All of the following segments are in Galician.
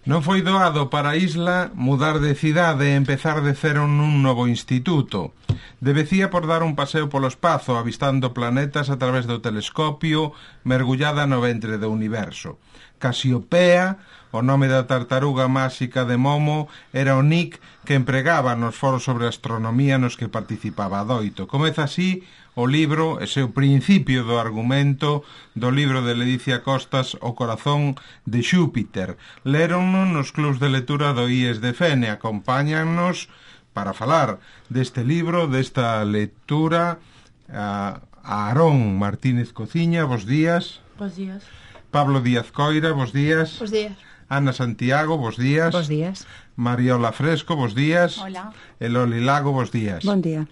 Non foi doado para a isla mudar de cidade e empezar de cero nun novo instituto. Devecía por dar un paseo polo espazo, avistando planetas a través do telescopio, mergullada no ventre do universo. Casiopea, o nome da tartaruga máxica de Momo, era o nick que empregaba nos foros sobre astronomía nos que participaba adoito. Comeza así o libro, ese o principio do argumento do libro de Ledicia Costas, O corazón de Xúpiter. Léronno nos clubs de lectura do IES de Fene. Acompáñannos para falar deste libro, desta lectura, a Aarón Martínez Cociña, bos días. Bos días. Pablo Díaz Coira, bos días. Bos días. Ana Santiago, bos días. Bos días. Mariola Fresco, bos días. Hola. E Loli Lago, bos días. Bon día.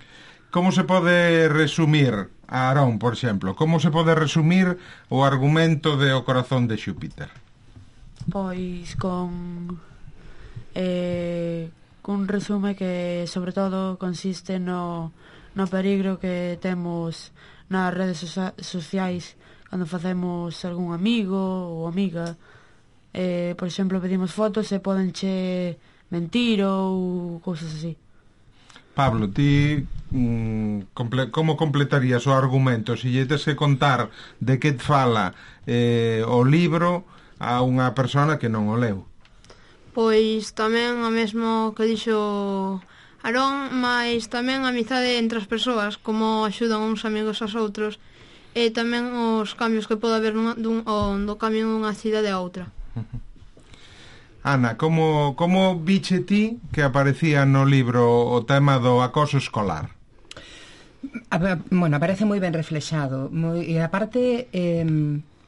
Como se pode resumir, Aarón, por exemplo, como se pode resumir o argumento de O corazón de Xúpiter? Pois con un resume que sobre todo consiste no peligro que temos nas redes sociais cando facemos algún amigo ou amiga. Por exemplo, pedimos fotos e podenche mentir ou cousas así. Pablo, ti como completarías o argumento se lle tes que contar de que te fala o libro a unha persona que non o leu? Pois tamén o mesmo que dixo Aarón, mas tamén a amizade entre as persoas, como axudan uns amigos aos outros, e tamén os cambios que pode haber do cambio dunha cidade a outra. Ana, como viche ti que aparecía no libro o tema do acoso escolar? Bueno, aparece moi ben reflexado e aparte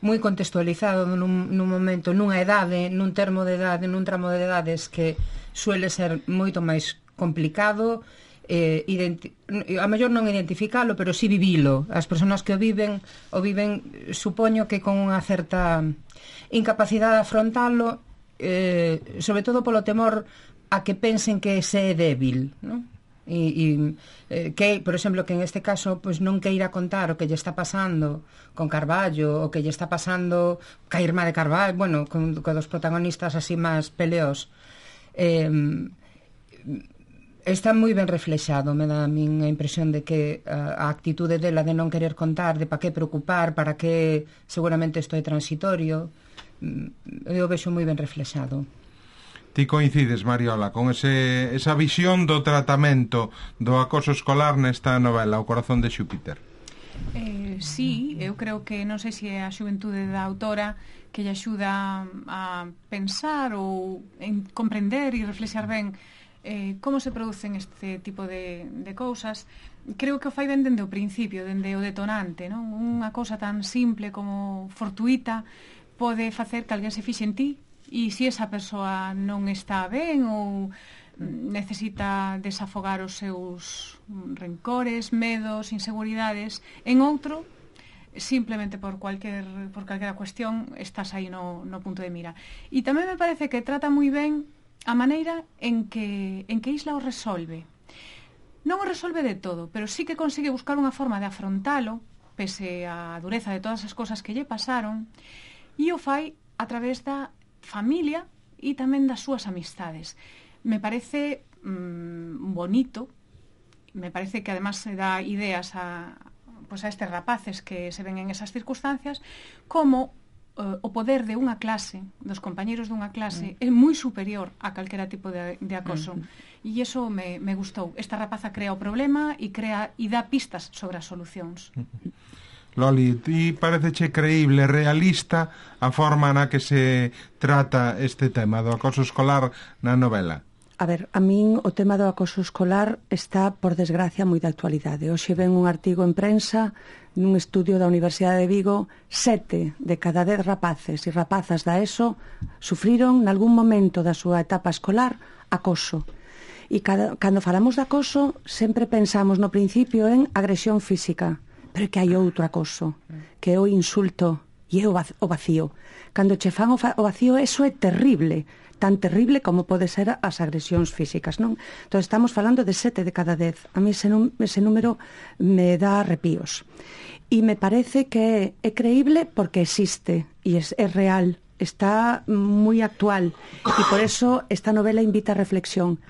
moi contextualizado nun momento, nunha edade, nun termo de idade, nun tramo de edades que suele ser moito máis complicado, a mellor non identificalo, pero sí vivilo. As persoas que o viven, supoño que con unha certa incapacidade de afrontalo, sobre todo polo temor a que pensen que se é débil, non? Que, por exemplo, que en este caso pois non queira contar o que lle está pasando con Carballo, o que lle está pasando ca irmá de Carballo, bueno, con dos protagonistas así máis peleos. Está moi ben reflexado, me dá a min a impresión de que a actitude dela de non querer contar, de para que preocupar, para que seguramente isto é transitorio, eu vexo moi ben reflexado. Ti coincides, Mariola, con esa visión do tratamento do acoso escolar nesta novela, O corazón de Xúpiter? Sí, eu creo que non sei se é a xuventude da autora que lle axuda a pensar ou en comprender e reflexar ben como se producen este tipo de cousas. Creo que o fai ben dende o principio, dende o detonante, non? Unha cousa tan simple como fortuita pode facer que alguén se fixe en ti, e se esa persoa non está ben ou necesita desafogar os seus rencores, medos, inseguridades en outro, simplemente por calquera cuestión estás aí no punto de mira. E tamén me parece que trata moi ben a maneira en que Isla o resolve. Non o resolve de todo, pero sí que consigue buscar unha forma de afrontalo pese á dureza de todas as cousas que lle pasaron, e o fai a través da familia e tamén das súas amistades. Me parece bonito, me parece que además se dá ideas a estes rapaces que se ven en esas circunstancias, como o poder de unha clase, dos compañeros dunha clase, é moi superior a calquera tipo de acoso. E iso me gustou. Esta rapaza crea o problema e dá pistas sobre as solucións. Loli, ti pareceche creíble, realista a forma na que se trata este tema do acoso escolar na novela? A ver, a min o tema do acoso escolar está, por desgracia, moi de actualidade. Hoxe ven un artigo en prensa nun estudio da Universidade de Vigo, 7 de cada 10 rapaces e rapazas da ESO sufriron nalgún momento da súa etapa escolar acoso. E cando falamos de acoso sempre pensamos no principio en agresión física, pero que hai outro acoso, que é o insulto e é o vacío. Cando che fan o vacío, eso é terrible, tan terrible como pode ser as agresións físicas, non? Entón estamos falando de 7 de cada 10. A mí ese número me dá arrepíos. E me parece que é creíble porque existe, e é real, está moi actual e por eso esta novela invita a reflexión.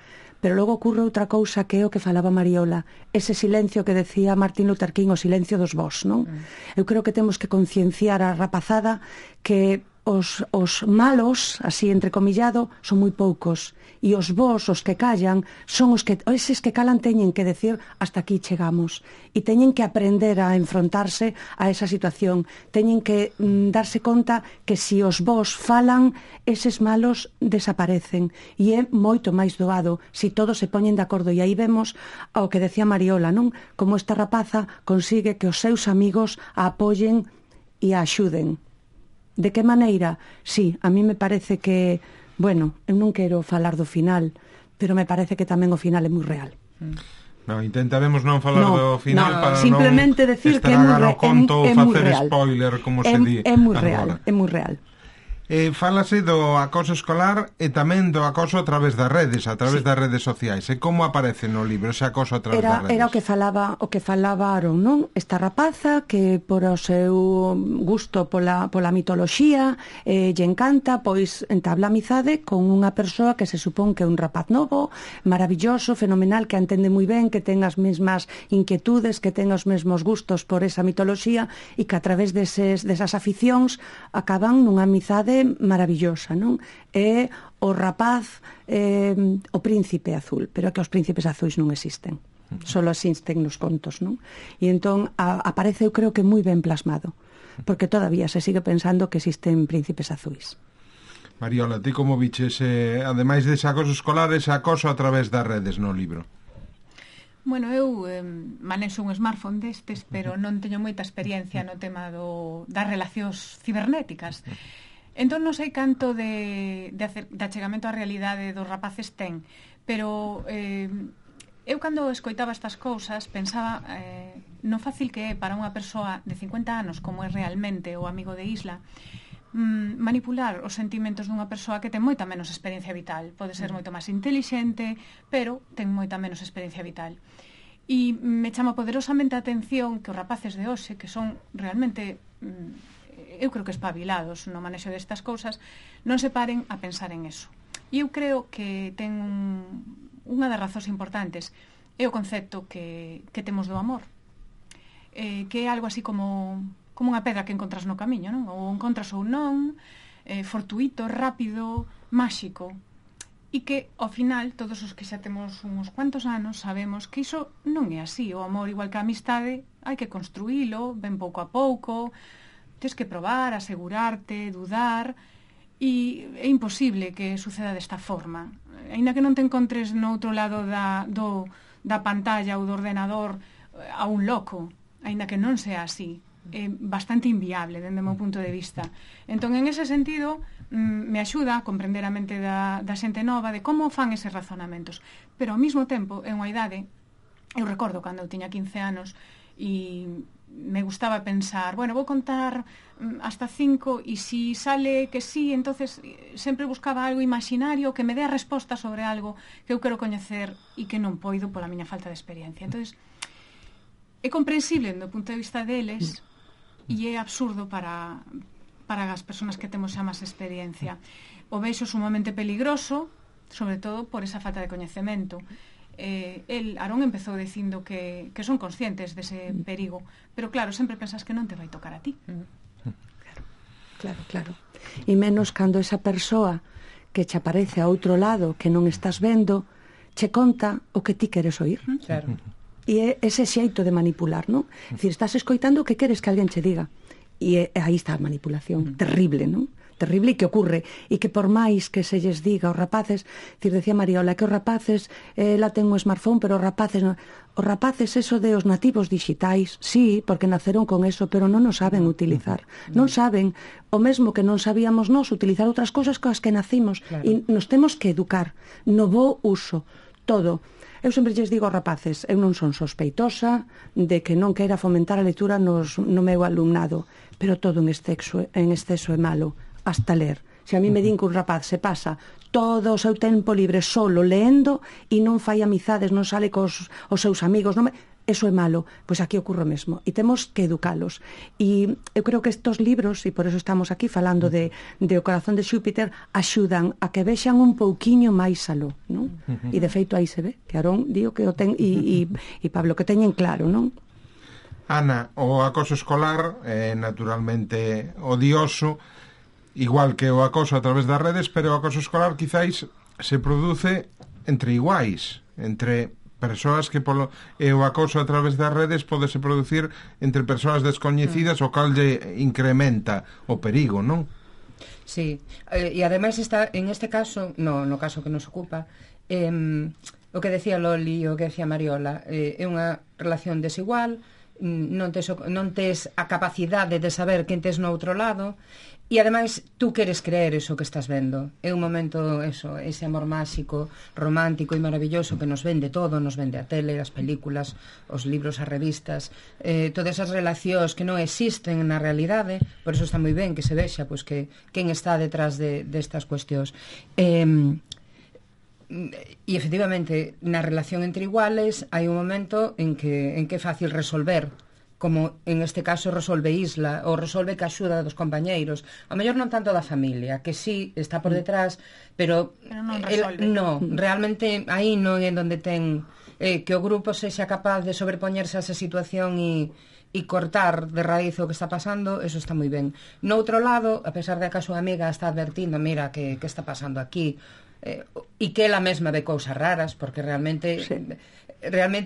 Pero logo ocurre outra cousa que é o que falaba Mariola, ese silencio que decía Martin Luther King, o silencio dos vós, non? Eu creo que temos que concienciar a rapazada que os malos, así entrecomillado, son moi poucos, e os vós, os que callan, son eses que calan teñen que decir hasta aquí chegamos, e teñen que aprender a enfrontarse a esa situación, teñen que darse conta que se os vós falan, eses malos desaparecen, e é moito máis doado se todos se poñen de acordo, e aí vemos ao que decía Mariola, non? Como esta rapaza consigue que os seus amigos a apoyen e a axuden. De que maneira? Sí, a mí me parece que, bueno, eu non quero falar do final, pero me parece que tamén o final é moi real. No, intentaremos non falar do final para simplemente non decir que é moi estragar o conto ou facer real. Spoiler, como se di. É moi real, é moi real. Fálase do acoso escolar e tamén do acoso a través das redes, das redes sociais. E como aparece no libro ese acoso a través das redes? Era o que falaba Aaron, non? Esta rapaza que por o seu gusto pola mitoloxía lle encanta, pois entabla amizade con unha persoa que se supón que é un rapaz novo, maravilloso, fenomenal, que entende moi ben, que ten as mesmas inquietudes, que ten os mesmos gustos por esa mitoloxía e que a través desas aficións acaban nunha amizade maravillosa, non? É o rapaz o príncipe azul, pero é que os príncipes azuis non existen, só existen nos contos, non? E entón aparece, eu creo que moi ben plasmado, porque todavía se sigue pensando que existen príncipes azuis. Mariola, ti como viches, ademais dese acoso escolar, ese acoso a través das redes no libro? Bueno, eu manexo un smartphone destes, pero non teño moita experiencia no tema das relacións cibernéticas. Entón non sei canto de achegamento á realidade dos rapaces ten, pero eu cando escoitaba estas cousas pensaba no fácil que é para unha persoa de 50 anos, como é realmente o amigo de Isla, manipular os sentimentos dunha persoa que ten moita menos experiencia vital. Pode ser moito máis intelixente, pero ten moita menos experiencia vital. E me chama poderosamente a atención que os rapaces de hoxe, que son realmente eu creo que espabilados no manexo destas cousas, non se paren a pensar en eso. E eu creo que ten unha das razóns importantes é o concepto que temos do amor, que é algo así como unha pedra que encontras no camiño, non? Ou encontras ou non, fortuito, rápido, máxico, e que ao final todos os que xa temos uns cuantos anos sabemos que iso non é así. O amor, igual que a amistade, hai que construílo ben pouco a pouco, tens que probar, asegurarte, dudar, e é imposible que suceda desta forma. Aínda que non te encontres no outro lado da pantalla ou do ordenador a un loco, aínda que non sea así, é bastante inviable dende o meu punto de vista. Entón, en ese sentido, me axuda a comprender a mente da xente nova de como fan eses razonamentos, pero ao mesmo tempo é unha idade. Eu recordo cando eu tiña 15 anos e me gustaba pensar, bueno, vou contar hasta 5 e si sale que sí, entonces sempre buscaba algo imaginario que me dé a resposta sobre algo que eu quero coñecer e que non poido pola miña falta de experiencia. Entonces, é comprensible do punto de vista deles e é absurdo para as persoas que temos xa máis experiencia. O vexo sumamente peligroso, sobre todo por esa falta de coñecemento. Aarón empezou dicindo que son conscientes dese perigo, pero claro, sempre pensas que non te vai tocar a ti. Claro. E menos cando esa persoa que che aparece a outro lado, que non estás vendo, che conta o que ti queres oír. Claro. E é ese xeito de manipular, non? É dicir, estás escoitando o que queres que alguén che diga. E aí está a manipulación, terrible, non? Terrible, e que ocurre, e que por máis que se lles diga aos rapaces, decía Mariola, que os rapaces ela ten un smartphone, pero os rapaces eso de os nativos digitais, sí, porque naceron con eso, pero non o saben utilizar, non saben o mesmo que non sabíamos nós utilizar outras cousas coas que nacimos, claro. E nos temos que educar no bo uso, todo. Eu sempre lles digo aos rapaces, eu non son sospeitosa de que non queira fomentar a lectura no meu alumnado, pero todo en exceso é malo, hasta ler. Se a mí me din que un rapaz se pasa todo o seu tempo libre solo leendo e non fai amizades, non sale cos seus amigos, eso é malo, pois aquí ocorre o mesmo, e temos que educalos. E eu creo que estos libros, e por eso estamos aquí falando de O corazón de Xúpiter, axudan a que vexan un pouquiño máis aló, non? E de feito aí se ve, que Aarón digo que o ten, e Pablo, que teñen claro, non? Ana, o acoso escolar é naturalmente odioso, igual que o acoso a través das redes, pero o acoso escolar quizáis se produce entre iguais, entre persoas que e o acoso a través das redes podese producir entre persoas descoñecidas, o cal lle incrementa o perigo, non? Sí, e ademais en este caso, no caso que nos ocupa, o que decía Loli e o que decía Mariola, é unha relación desigual, non tes a capacidade de saber quen tes no outro lado, e ademais tú queres creer eso que estás vendo. É un momento, ese amor máxico, romántico e maravilloso que nos vende todo, nos vende a tele, as películas, os libros, as revistas, todas esas relacións que non existen na realidade. Por eso está moi ben que se vexa pois que quen está detrás destas cuestións. E efectivamente, na relación entre iguales hai un momento en que é fácil resolver, como en este caso resolve Isla, ou resolve que axuda dos compañeiros, a mellor non tanto da familia, que sí está por detrás, pero non resolve. Realmente aí non é onde ten que o grupo sexa capaz de sobrepoñerse a esa situación e cortar de raíz o que está pasando, eso está moi ben. No outro lado, a pesar de que a súa amiga está advertindo, mira, que está pasando aquí, e que ela mesma ve cousas raras, porque realmente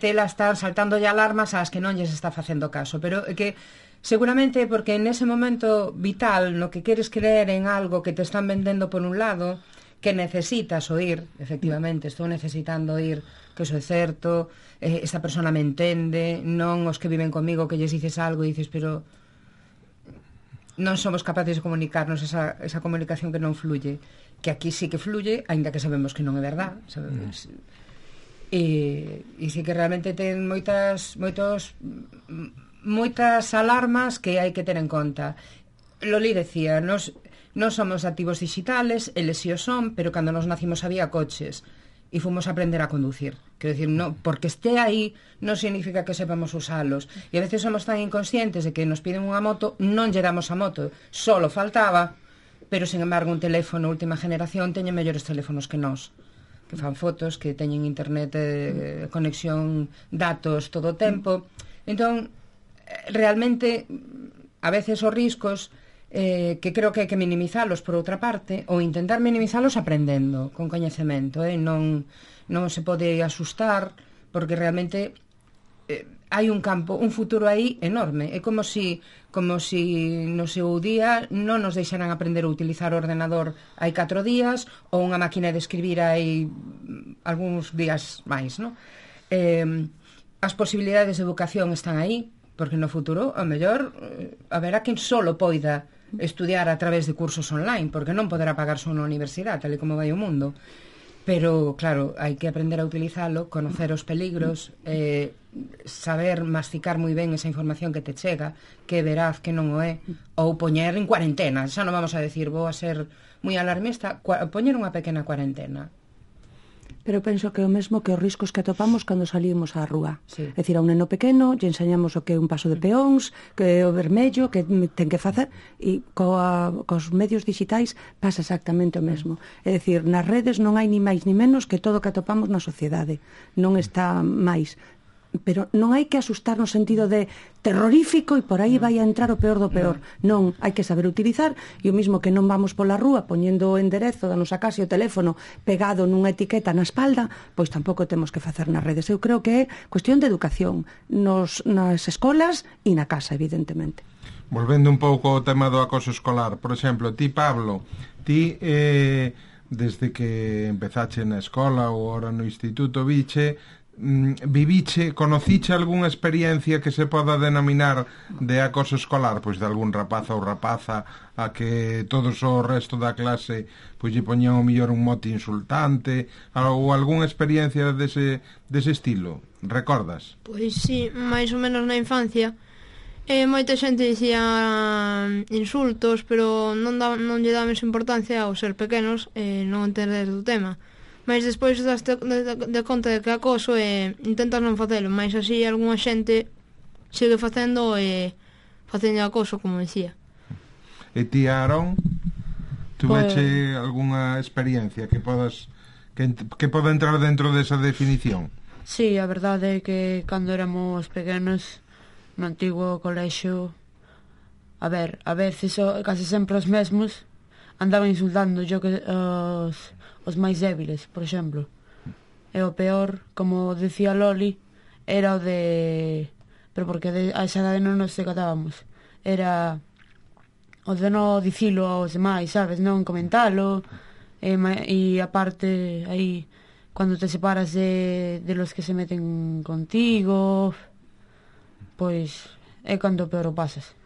ela está saltando ya alarmas ás que non lles está facendo caso, pero que seguramente porque en ese momento vital no que queres creer en algo que te están vendendo por un lado, que necesitas oír, efectivamente, estou necesitando oír que eso é certo, esta persona me entende, non os que viven comigo que lles dices algo e dices, pero non somos capaces de comunicarnos, esa comunicación que non fluye, que aquí sí que fluye, aínda que sabemos que non é verdad, sabemos. E sí que realmente ten moitas alarmas que hai que ter en conta. Loli decía, nos somos activos digitales, eles si o son, pero cando nos nacimos había coches e fomos a aprender a conducir. Quero dicir, no, porque este aí non significa que sepamos usalos. E a veces somos tan inconscientes de que nos piden unha moto, non lle damos a moto, solo faltaba, pero, sin embargo, un teléfono última generación teñen mellores teléfonos que nós, que fan fotos, que teñen internet, conexión, datos todo o tempo. Entón, realmente, a veces os riscos que creo que hai que minimizalos por outra parte, ou intentar minimizalos aprendendo, con coñecemento, non se pode asustar, porque realmente hai un campo, un futuro aí enorme. É como si no seu día non nos deixaran aprender a utilizar o ordenador hai 4 días ou unha máquina de escribir hai algúns días máis, non? As posibilidades de educación están aí, porque no futuro, ao mellor, haberá quen solo poida estudiar a través de cursos online, porque non poderá pagarse unha universidade, tal e como vai o mundo. Pero, claro, hai que aprender a utilizalo, conocer os peligros, saber masticar moi ben esa información que te chega, que é veraz, que non o é, ou poñer en cuarentena. Xa non vamos a decir, vou a ser moi alarmista, poñer unha pequena cuarentena. Pero penso que o mesmo que os riscos que atopamos cando salimos á rúa. Sí. É dicir, a un neno pequeno lle enseñamos o que é un paso de peóns, que é o vermello, que ten que facer, e cos medios digitais pasa exactamente o mesmo. É dicir, nas redes non hai ni máis ni menos que todo o que atopamos na sociedade. Non está máis. Pero non hai que asustar no sentido de terrorífico e por aí vai a entrar o peor do peor. Non, hai que saber utilizar, e o mismo que non vamos pola rúa poñendo o enderezo da nosa casa e o teléfono pegado nunha etiqueta na espalda, pois tampouco temos que facer nas redes. Eu creo que é cuestión de educación nas escolas e na casa, evidentemente. Volvendo un pouco ao tema do acoso escolar, por exemplo, ti, Pablo, desde que empezache na escola ou ahora no instituto, conociche algunha experiencia que se poda denominar de acoso escolar, pois de algún rapaza ou rapaza a que todos o resto da clase pois lle poñían o mellor un mote insultante, ou algunha experiencia dese estilo, recordas? Pois sí, máis ou menos na infancia. Moita xente dicía insultos, pero non lle damos importancia ao ser pequenos e non entender do tema. mas despois daste de conta de que acoso e intentas non facelo, mas así algunha xente sigue facendo e facendo acoso, como dicía. E ti, Aarón, tuveche algunha experiencia que podas que poda entrar dentro desa definición? Sí, a verdade é que cando éramos pequenos no antigo colexio, a veces case sempre os mesmos andaban insultando os máis débiles, por exemplo. E o peor, como decía Loli, era o de... Pero porque a esa edade non nos decatábamos. Era o de non dicilo aos demais, sabes? Non comentalo. E aparte, aí, cando te separas de los que se meten contigo, pois é cando peor o pasas.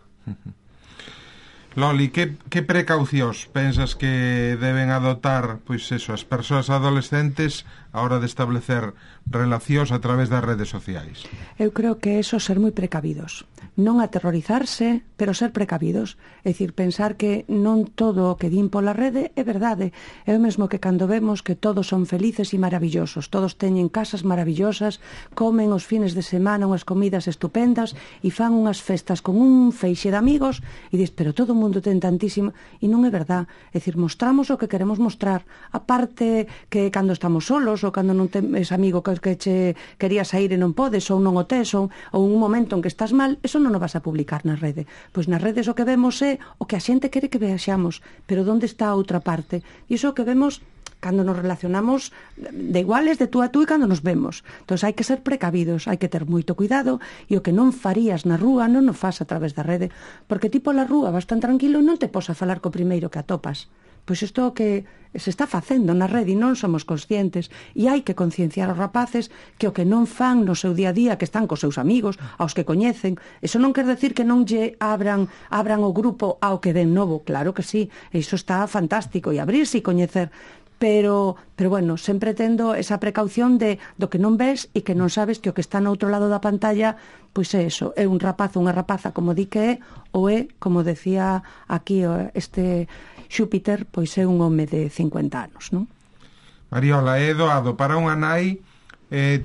Loli, que precaucións pensas que deben adoptar, pois eso, as persoas adolescentes a hora de establecer relacións a través das redes sociais? Eu creo que eso ser moi precavidos. Non aterrorizarse, pero ser precavidos. É dicir, pensar que non todo o que din pola rede é verdade. É o mesmo que cando vemos que todos son felices e maravillosos. Todos teñen casas maravillosas, comen os fines de semana unhas comidas estupendas e fan unhas festas con un feixe de amigos e dis, pero todo o mundo ten tantísimo, e non é verdad. É dicir, mostramos o que queremos mostrar. A parte que cando estamos solos ou cando non tes amigo que che querías sair e non podes ou non o tes ou un momento en que estás mal, eso non o vas a publicar na rede. Pois nas redes o que vemos é o que a xente quere que vexamos, pero onde está a outra parte? E iso que vemos cando nos relacionamos de iguales, de tú a tú, e cando nos vemos. Entón hai que ser precavidos, hai que ter moito cuidado, e o que non farías na rúa non o fas a través da rede, porque ti pola rúa vas tan tranquilo e non te pos a falar co primeiro que atopas. Pois isto que se está facendo na rede e non somos conscientes, e hai que concienciar aos rapaces que o que non fan no seu día a día, que están cos seus amigos, aos que coñecen, eso non quer decir que non lle abran o grupo ao que den novo, claro que sí, iso está fantástico, e abrirse e coñecer, pero bueno, sempre tendo esa precaución do que non ves e que non sabes que o que está no outro lado da pantalla, pois é eso, é un rapaz ou unha rapaza como di que é, ou é, como decía aquí este Xúpiter, pois é un home de 50 anos, non? Mariola, é doado para unha nai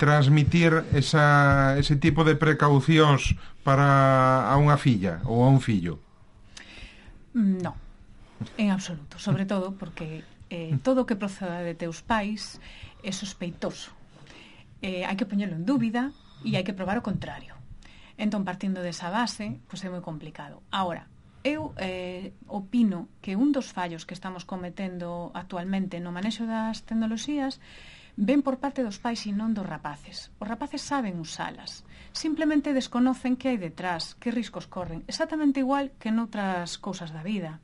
transmitir ese tipo de precaucións para a unha filla ou a un fillo? Non, en absoluto, sobre todo porque todo o que proceda de teus pais é sospeitoso. Hai que poñelo en dúbida e hai que probar o contrario. Entón, partindo desa base, pois é moi complicado. Ahora, eu opino que un dos fallos que estamos cometendo actualmente no manexo das tecnoloxías ven por parte dos pais e non dos rapaces. Os rapaces saben usalas, simplemente desconocen que hai detrás, que riscos corren, exactamente igual que noutras cousas da vida.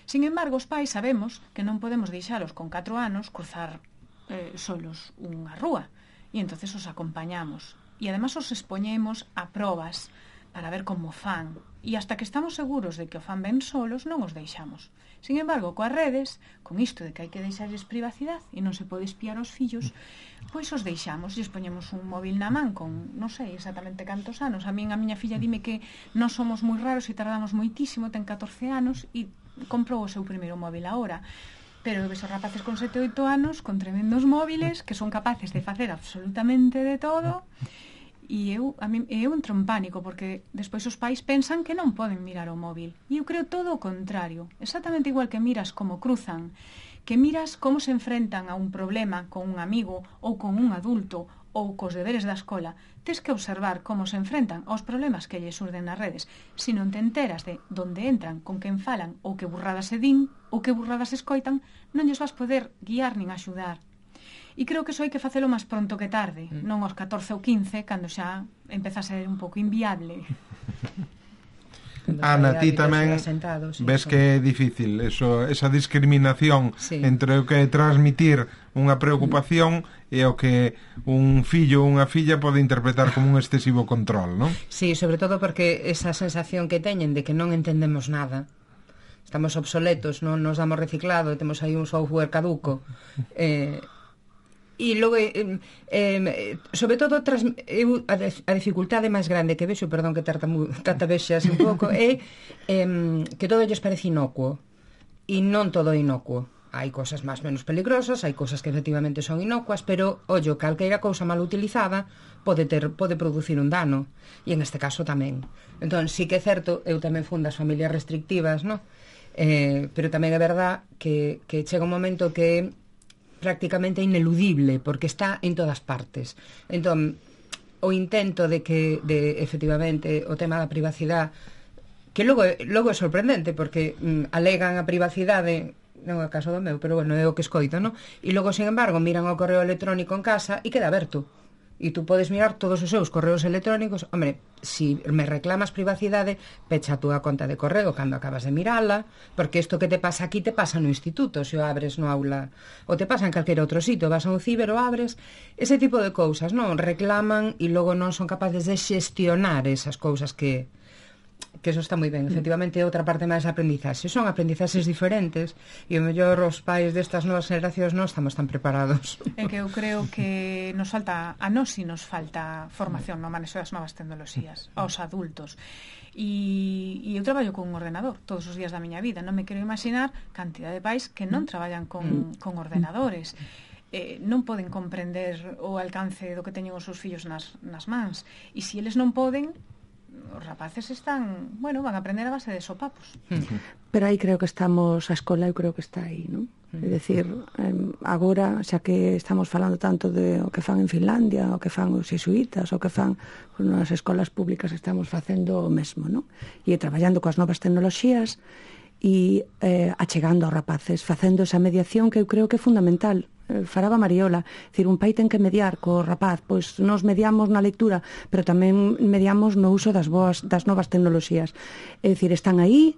Sin embargo, os pais sabemos que non podemos deixalos con 4 anos cruzar solos unha rúa, e entonces os acompañamos, e además os expoñemos a probas para ver como fan, e hasta que estamos seguros de que o fan ben solos non os deixamos. Sin embargo, coas redes, con isto de que hai que deixarles privacidade e non se pode espiar os fillos, pois os deixamos e expoñemos un móvil na man con non sei exactamente cantos anos. A miña filla dime que non somos moi raros e tardamos moitísimo, ten 14 anos e comprou o seu primeiro móvil agora. Pero ves os rapaces con 7 ou 8 anos con tremendos móviles que son capaces de facer absolutamente de todo. E eu entro en pánico porque despois os pais pensan que non poden mirar o móvil, e eu creo todo o contrario, exactamente igual que miras como cruzan, que miras como se enfrentan a un problema con un amigo ou con un adulto ou cos deberes da escola, tes que observar como se enfrentan aos problemas que lle surden nas redes. Se non te enteras de onde entran, con quen falan, ou que burradas se din, ou que burradas escoitan, non lles vas poder guiar nin axudar. E creo que iso hai que facelo máis pronto que tarde, non aos 14 ou 15, cando xa empeza a ser un pouco inviable. Ana, ti tamén ves que é difícil esa discriminación entre o que é transmitir unha preocupación e o que un fillo ou unha filla pode interpretar como un excesivo control, non? Sí, sobre todo porque esa sensación que teñen de que non entendemos nada, estamos obsoletos, non nos damos reciclado, temos aí un software caduco, e logo sobre todo a dificultade máis grande que vexo, perdón que tartabexas un pouco, é que todo lles parece inocuo, e non todo é inocuo. hai cosas máis menos peligrosas, hai cosas que efectivamente son inocuas, pero, ollo, calqueira cousa mal utilizada pode producir un dano, e en este caso tamén. Entón, sí que é certo, eu tamén fun das familias restrictivas, no? Pero tamén é verdad que chega un momento que prácticamente ineludible, porque está en todas partes. Entón, o intento de efectivamente, o tema da privacidade, que logo é sorprendente, porque alegan a privacidade, non é o caso do meu, pero bueno, é o que escoito, non? E logo, sin embargo, miran o correo electrónico en casa e queda aberto. E tú podes mirar todos os seus correos electrónicos. Hombre, si me reclamas privacidade, pecha a túa conta de correo cando acabas de mirala, porque isto que te pasa aquí te pasa no instituto, se o abres no aula, ou te pasa en calquera outro sitio, vas a un ciber o abres, ese tipo de cousas, non? Reclaman e logo non son capaces de xestionar esas cousas que eso está moi ben, efectivamente é outra parte máis de aprendizaxe, son aprendizaxes diferentes e o mellor os pais destas novas generacións non estamos tan preparados. É que eu creo que nos falta, a nós si nos falta formación no manexo das novas tecnoloxías, aos adultos. E eu traballo con un ordenador todos os días da miña vida, non me quero imaginar cantidad de pais que non traballan con ordenadores. Non poden comprender o alcance do que teñen os seus fillos nas mans, e se eles non poden, os rapaces están, bueno, van a aprender a base de sopapos. Pero aí creo que estamos, a escola eu creo que está aí, non? É dicir, agora, xa que estamos falando tanto de o que fan en Finlandia, o que fan os xesuítas, o que fan nas escolas públicas, estamos facendo o mesmo, non? E traballando coas novas tecnoloxías e achegando aos rapaces, facendo esa mediación que eu creo que é fundamental. Faraba Mariola, dicir, un pai ten que mediar co rapaz, pois nos mediamos na lectura, pero tamén mediamos no uso das novas tecnoloxías. É dicir, están aí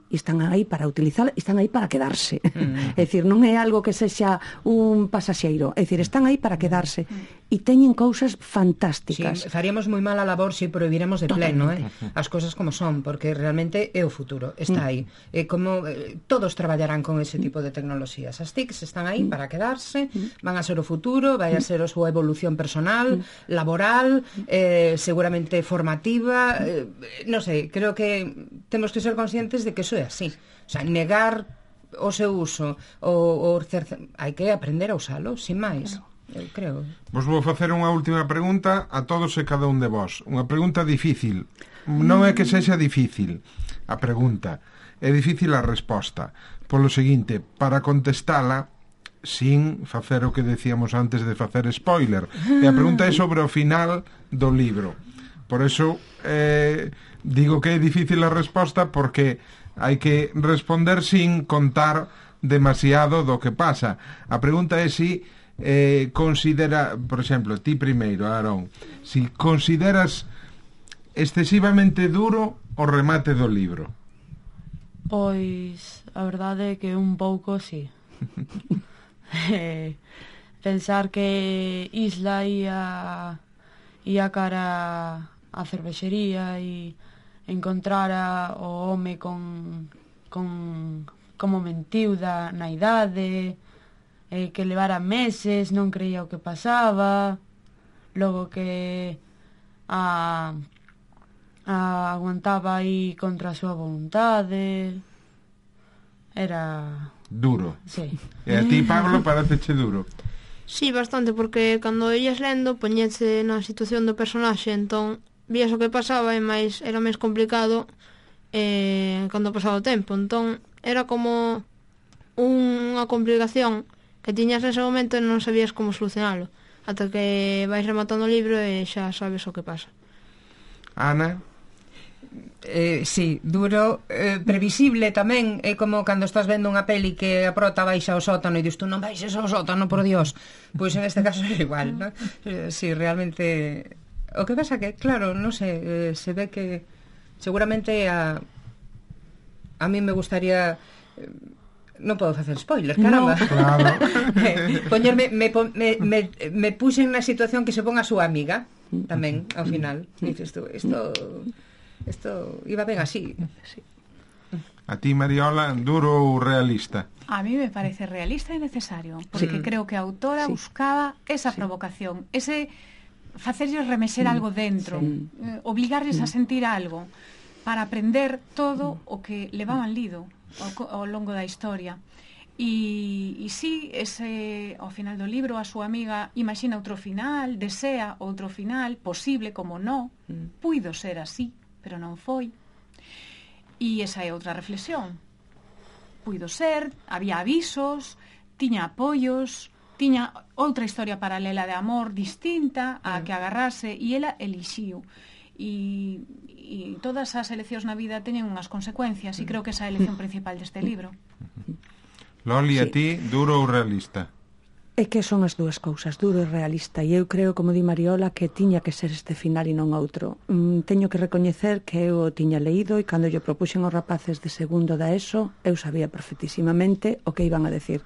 para utilizar, están aí para quedarse. É dicir, non é algo que sexa un pasaxeiro, é dicir, están aí para quedarse e teñen cousas fantásticas. Sí, faríamos moi mal a labor se prohibiremos de pleno, as cousas como son, porque realmente é o futuro, está aí. Como todos traballarán con ese tipo de tecnoloxías. As TICs están aí para quedarse, van a ser o futuro, vai a ser a súa evolución personal, laboral, seguramente formativa, non sei, creo que temos que ser conscientes de que iso é así. O sea, negar o seu uso, hai que aprender a usalo, sin máis. Eu creo. Vos vou facer unha última pregunta a todos e cada un de vos. Unha pregunta difícil. Non é que sexa difícil a pregunta, é difícil a resposta. Polo seguinte, para contestala sin facer o que decíamos antes de facer spoiler. E a pregunta é sobre o final do libro. Por eso digo que é difícil a resposta, porque hai que responder sin contar demasiado do que pasa. A pregunta é si considera, por exemplo, ti primeiro, Aarón, si consideras excesivamente duro o remate do libro. Pois a verdade é que un pouco sí. Pensar que Isla ia cara a cervexería e encontrara o home con como mentiu na idade, que levara meses, non creía o que pasaba, logo que aguantaba aí contra a súa vontade. Era duro. Sí. E a ti, Pablo, pareceche duro? Sí, bastante, porque cando ias lendo poñese na situación do personaxe, entón vías o que pasaba e era máis complicado cando pasaba o tempo. Entón era como unha complicación que tiñas nese momento e non sabías como solucionalo, ata que vais rematando o libro e xa sabes o que pasa. Ana? Sí, duro, previsible tamén. É como cando estás vendo unha peli que a prota baixa ao sótano e dis tú non baixes ao sótano, por Dios. Pois en este caso é igual, ¿no? Sí, realmente. O que pasa que, claro, non sei, se ve que seguramente a mí me gustaría. Non podo facer spoiler, caramba. No, claro. Poñerme me puxen na situación que se pon a súa amiga tamén ao final. Dices tú, isto iba ben así. Sí. A ti, Mariola, duro ou realista? A mí me parece realista e necesario, porque creo que a autora buscaba esa provocación, ese facerlles remexer algo dentro, obligarles a sentir algo para aprender todo o que levaban lido ao longo da historia. E sí, ao final do libro a súa amiga imagina outro final, desea outro final posible, como no, puido ser así, pero non foi. E esa é outra reflexión. Puido ser, había avisos, tiña apoios, tiña outra historia paralela de amor distinta a que agarrase, e ela elixiu. E todas as eleccións na vida teñen unhas consecuencias, e creo que esa é a elección principal deste libro. Loli, a ti, duro ou realista? É que son as dúas cousas, duro e realista, e eu creo, como di Mariola, que tiña que ser este final e non outro. Teño que recoñecer que eu o tiña leído e cando lle propuxen os rapaces de segundo da ESO, eu sabía perfectísimamente o que iban a decir.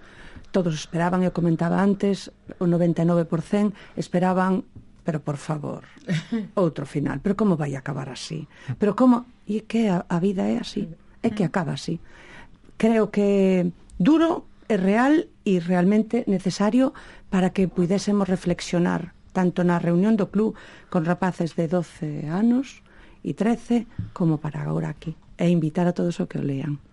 Todos esperaban, eu comentaba antes, o 99% esperaban, pero por favor, outro final. Pero como vai acabar así? Pero como? E que a vida é así, é que acaba así. Creo que duro é real e realmente necesario para que puidésemos reflexionar tanto na reunión do club con rapaces de 12 anos e 13 como para agora aquí e invitar a todos o que o lean.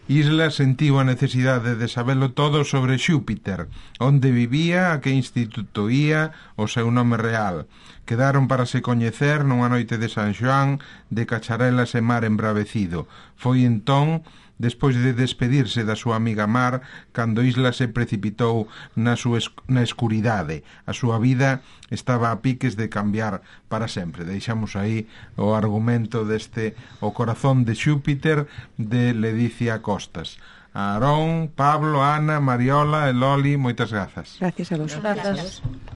Isla sentiu a necesidade de sabelo todo sobre Xúpiter, onde vivía, a que instituto ía, o seu nome real. Quedaron para se coñecer nunha noite de San Xoán de cacharelas e mar embravecido. Foi entón, despois de despedirse da súa amiga Mar, cando Isla se precipitou na escuridade. A súa vida estaba a piques de cambiar para sempre. Deixamos aí o argumento deste O corazón de Xúpiter de Ledicia Costas. A Aarón, Pablo, Ana, Mariola e Loli, moitas grazas. Gracias a vos. Grazas.